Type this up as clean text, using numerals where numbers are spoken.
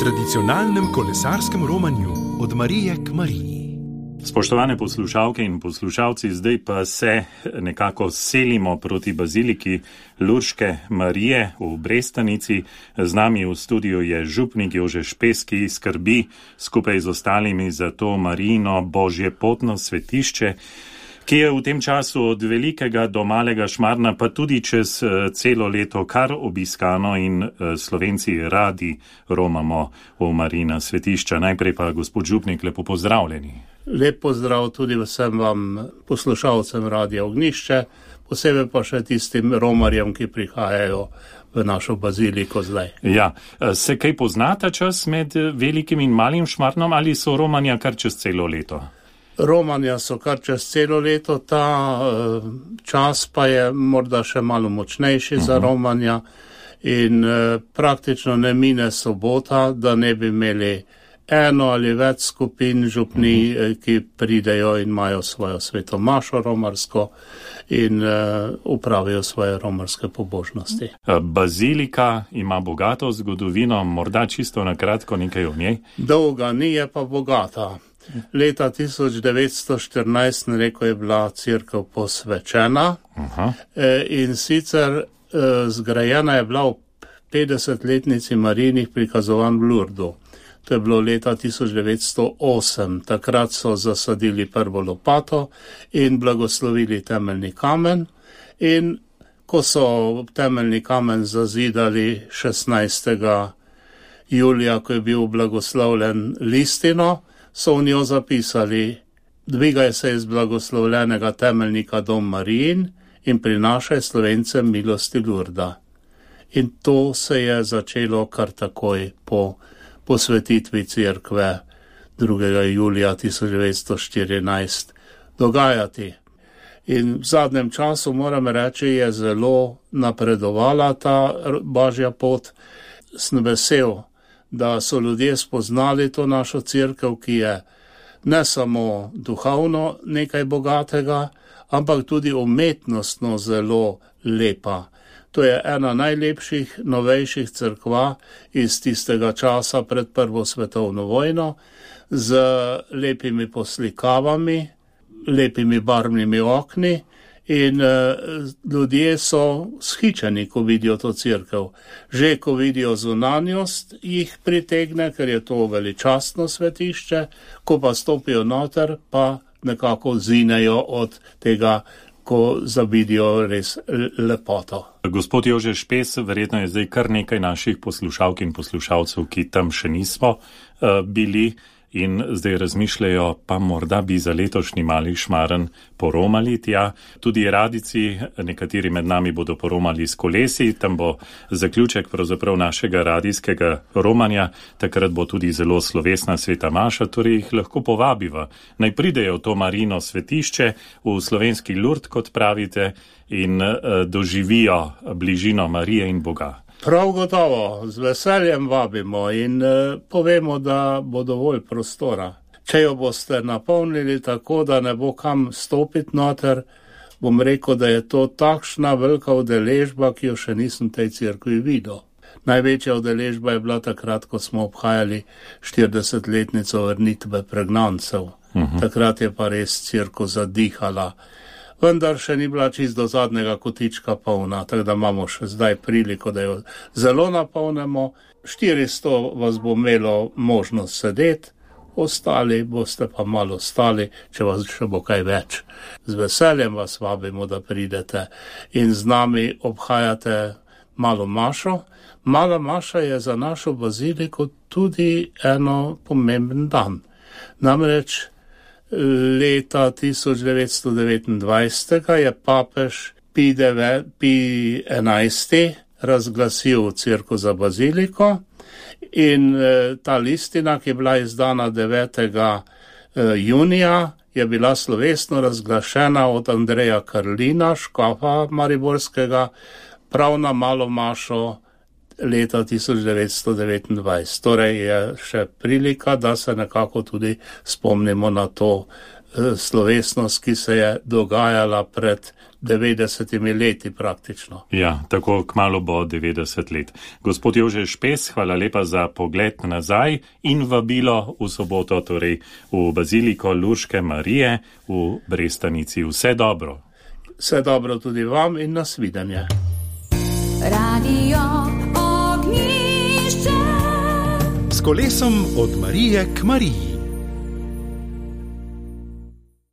tradicionalnem kolesarskem romanju od Marije k Mariji. Spoštovane poslušalke in poslušalci, zdaj pa se nekako selimo proti baziliki Lurške Marije v Brestanici. Z nami v studiu je župnik Jože Špes, ki skrbi skupaj z ostalimi za to Marijino božje potno svetišče, ki je v tem času od velikega do malega Šmarna, pa tudi čez celo leto kar obiskano in Slovenci radi romamo v Marijina svetišča. Najprej pa, gospod župnik, lepo pozdravljeni. Lep pozdrav tudi vsem vam poslušalcem Radia Ognjišče, posebej pa še tistim romarjem, ki prihajajo v našo baziliko zdaj. Ja, se kaj poznata čas med velikim in malim Šmarnom ali so romanja kar čez celo leto? Romanja so kar čez celo leto, ta čas pa je morda še malo močnejši za romanja in praktično ne mine sobota, da ne bi imeli eno ali več skupin župni, ki pridejo in imajo svojo sveto mašo romarsko in upravijo svoje romarske pobožnosti. Bazilika ima bogato zgodovino, morda čisto na kratko nekaj o njej? Dolga ni, je pa bogata. Leta 1914, rekel, je bila cerkev posvečena. In sicer zgrajena je bila v 50-letnici Marijinih prikazovanj v Lurdu. To je bilo leta 1908. Takrat so zasadili prvo lopato in blagoslovili temeljni kamen. In ko so temeljni kamen zazidali 16. julija, ko je bil blagoslovljen listino, so v njo zapisali: dvigaj se iz blagoslovljenega temeljnika dom Marijin in prinašaj Slovencem milosti Lurda. In to se je začelo kar takoj po posvetitvi cerkve 2. julija 1914 dogajati. In v zadnjem času, moram reči, je zelo napredovala ta božja pot. Sem vesel, da so ljudje spoznali to našo cerkev, ki je ne samo duhovno nekaj bogatega, ampak tudi umetnostno zelo lepa. To je ena najlepših, novejših cerkva iz tistega časa pred Prvo svetovno vojno, z lepimi poslikavami, lepimi barvnimi okni in ljudje so shičeni, ko vidijo to cerkev. Že ko vidijo zunanjost, jih pritegne, ker je to veličastno svetišče, ko pa stopijo noter, pa nekako zinejo od tega, ko zavidijo res lepoto. Gospod Jože Špes, verjetno je zdaj kar nekaj naših poslušalk in poslušalcev, ki tam še nismo bili in zdaj razmišljajo, pa morda bi za letošnji mali Šmaren poromali tja. Tudi radici, nekateri med nami bodo poromali s kolesi, tam bo zaključek pravzaprav našega radijskega romanja, takrat bo tudi zelo slovesna sveta maša, torej jih lahko povabiva. Naj pridejo v to Marijino svetišče, v slovenski Lurd, kot pravite, in doživijo bližino Marije in Boga. Prav gotovo, z veseljem vabimo in povemo, da bo dovolj prostora. Če jo boste napolnili tako, da ne bo kam stopiti noter, bom rekel, da je to takšna velika udeležba, ki jo še nisem tej cerkvi videl. Največja udeležba je bila takrat, ko smo obhajali 40-letnico vrnitve pregnancev. Takrat je pa res cerkev zadihala. Vendar še ni bila čisto do zadnjega kotička polna, tako da imamo še zdaj priliko, da jo zelo napolnimo. 400 vas bo imelo možnost sedeti, ostali boste pa malo stali, če vas še bo kaj več. Z veseljem vas vabimo, da pridete in z nami obhajate malo mašo. Mala maša je za našo baziliko tudi eno pomemben dan. Namreč leta 1929 je papež Pij XI razglasil cerkev za baziliko in ta listina, ki je bila izdana 9. junija, je bila slovesno razglašena od Andreja Karlina, škofa mariborskega, prav na malo mašo leta 1929. Torej je še prilika, da se nekako tudi spomnimo na to slovesnost, ki se je dogajala pred 90 leti praktično. Ja, tako kmalu bo 90 let. Gospod Jože Špes, hvala lepa za pogled nazaj in vabilo v soboto, torej v Baziliko Lurške Marije v Brestanici. Vse dobro. Vse dobro tudi vam in nasvidenje. Radio Ognjišče. S kolesom od Marije k Mariji.